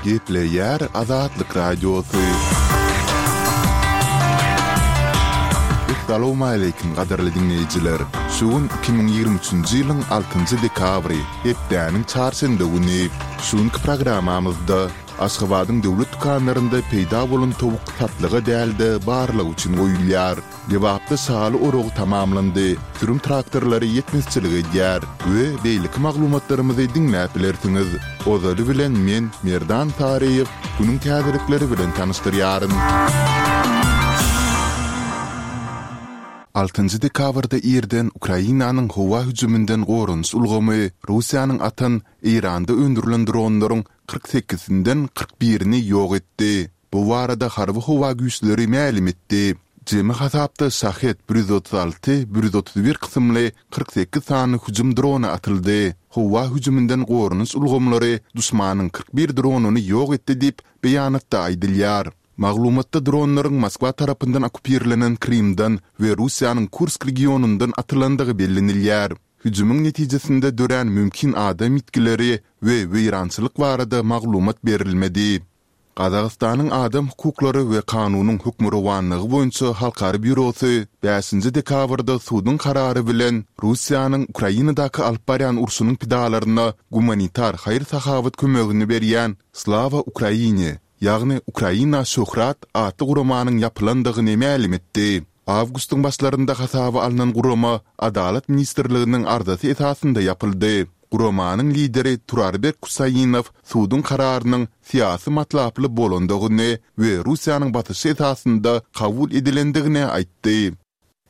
Gepleýär Azatlyk Radiosy. Essalawmaleýkim gadyrly diňleýjiler! Şu gün 2023-nji ýylyň altynjy dekabry, hepdäniň çarşenbe güni. Şu günki programmamyzda Aşgabadyň döwlet dükanlarynda peýda bolan towuk satlyga däl-de, barlag üçin goýulýar. Lebapda şaly oragy tamamlandy, sürüm traktorlary ýetmezçilik edýär we beýleki maglumatlarymyzy diňläp bilersiňiz. Ozaly bilen men, Merdan Saryýew, günüň täzelikleri bilen tanyşdyrýaryn. Altynjy dekabrda irden Ukrainanyň howa hüjüminden goranyş ulgamy Russiýanyň atan Eýranda öndürilen dronlaryň 48-sinden 41-ini ýok etdi. Bu barada Harby-howa güýçleri mälim etdi. Jemi hasapda Şahed 136, 131 kysymly 48 sany hüjüm drony atyldy. Howa hüjüminden goranyş ulgamlary duşmanyň 41 dronyny ýok etdi diýip, beýanatda aýdylýar. Maglumatda dronlaryň Moskwa tarapyndan okkupirlenen Krymdan we Russiýanyň Kursk regionyndan atylandygy bellenilýär. Hüjümiň netijesinde dörän mümkin adam ýitgileri we weýrançylyk barada maglumat berilmedi. Gazagystanyň Adam hukuklary we kanunyň hökmürowanlygy boýunça halkara býurosy bäşinji dekabrda suduň karary bilen Russiýanyň Ukrainadaky alyp barýan urşunyň pidalaryna gumanitar haýyr-sahawat kömegini berýän Slava Ukraini, ýagny Ukraina şöhrat atly guramanyň ýapylandygyny mälim etdi. Awgustyň başlarynda hasaba alnan gurama Adalat ministrliginiň arzasy esasynda ýapyldy. Guramanyň lideri Turarbek Kusainow suduň kararynyň syýasy matlaply bolandygyny we Russiýanyň basyşy esasynda kabul edilendigini aýtdy.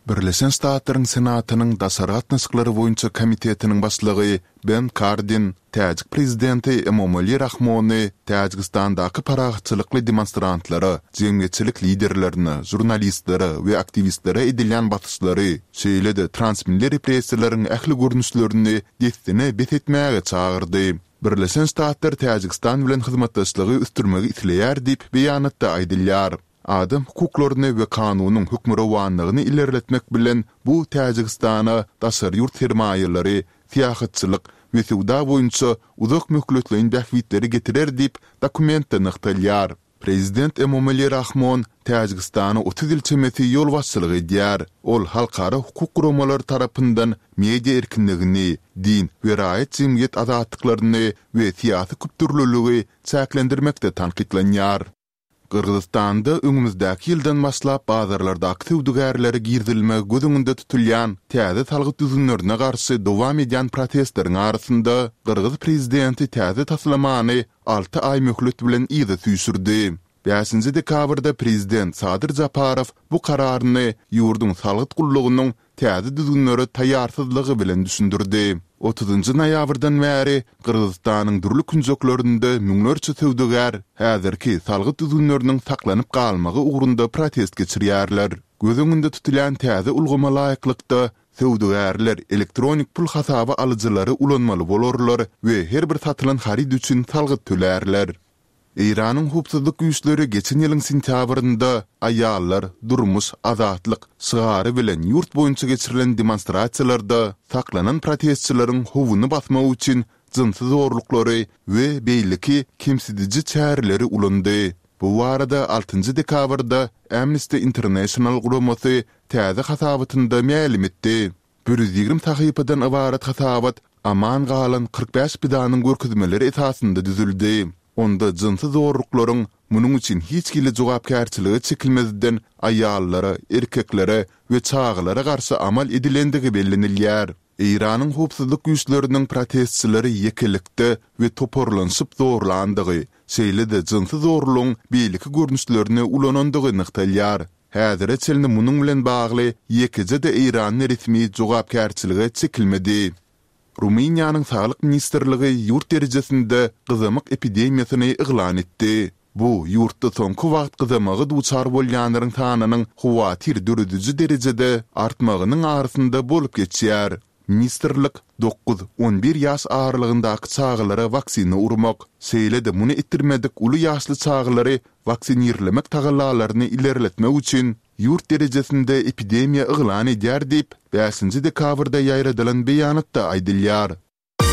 Birleşen Ştatlaryň Senatynyň Daşary gatnaşyklary boýunça komitetiniň başlygy Ben Kardin täjik prezidenti Emomali Rahmony Täjigistandaky parahatçylykly demonstrantlara, jemgyýetçilik liderlerine, žurnalistlere we aktiwistlere edilýän basyşlary, şeýle-de transmilli repressiýalaryň ähli görnüşlerini dessine bes etmäge çagyrdy. Birleşen Ştatlar Täjigistan bilen hyzmatdaşlygy ösdürmegi isleýär diýip, beýanatda aýdylýar. Adam hukuklaryny we kanunyň hökmürowanlygyny ilerletmek bilen bu Täjigistana daşary ýurt sermaýalary, syýahatçylyk we söwda boýunça uzak möhletleýin bähbitleri getirer diýip, dokumentde nygtalýar. Prezident Emomali Rahmon Täjigistana 30 ýyl çemesi ýolbaşçylyk edýär. Ol halkara hukuk guramalary tarapyndan media erkinligini, din we raýat-jemgyýet azatlyklaryny we syýasy köpdürlüligi çäklendirmekde tankytlanýar. Gyrgyzystanda öňümizdäki ýyldan başlap bazarlardaky söwdagärlere girizilmegi göz öňünde tutulýan täze salgyt düzgünlerine garşy dowam edýän protestleriň arasynda, gyrgyz prezidenti täze taslamany alty aý möhlet bilen yza süýşürdi. Bäşinji dekabrda prezident Sadyr Japarow bu kararyny ýurduň salgyt gullugynyň täze düzgünlere taýýarsyzlygy bilen düşündirdi. Otuzynjy noýabrdan bäri Gyrgyzystanyň dürli künjeklerinde müňlerçe söwdagär häzirki salgyt düzgünleriniň saklanyp galmagy ugrunda protest geçirýärler. Göz öňünde tutulýan täze ulgama laýyklykda, söwdagärler elektronik pul hasaba alyjylary ulanmaly bolarlar we her bir satylan haryt üçin salgyt tölärler. Eýranyň howpsuzlyk güýçleri geçen ýylyň sentýabrynda Aýallar, durmuş, azatlyk şygary bilen ýurt boýunça geçirilen demonstrasiýalarda saklanan protestçileriň howuny basmak üçin jynsy zorluklary we beýleki kemsidiji çäreleri ulandy. Bu barada altynjy dekabrda Amnesty International guramasy täze hasabatynda mälim etdi. 120 sahypadan ybarat hasabat aman galan 45 pidanyň görkezmeleri esasynda düzüldi. Onda jynsy zorluklaryň munuň üçin hiç hili jogapkärçilige çekilmezden aýallara, erkeklere we çagalara garşy amal edilendigi bellenilýär. Eýranyň howpsuzlyk güýçleriniň protestçileri ýekelikde we toparlanyşyp zorlandygy, şeýle-de jynsy zorlugyň beýleki görnüşlerini ulanandygy nygtalýar. Häzire çenli munuň bilen bagly ýekeje-de eýranly resmi jogapkärçilige çekilmedi. Rumyniýanyň Saglyk ministrligi ýurt derejesinde gyzamyk epidemiýasyny yglan etdi. Bu, ýurtda soňky wagt gyzamyga duçar bolýanlaryň sanynyň howatyr dörediji derejede artmagynyň arasynda bolup geçýär. Ministrlik dokuz, on bir ýaş aralygyndaky çagalara waksina urmak, şeýle-de muny etdirmedik uly ýaşly çagalary waksinirlemek tagallalaryny ilerletmek üçin ýurt derejesinde epidemiýa yglan edýär diýip, bäşinji dekabrda ýaýradylan beýanatda aýdylýar.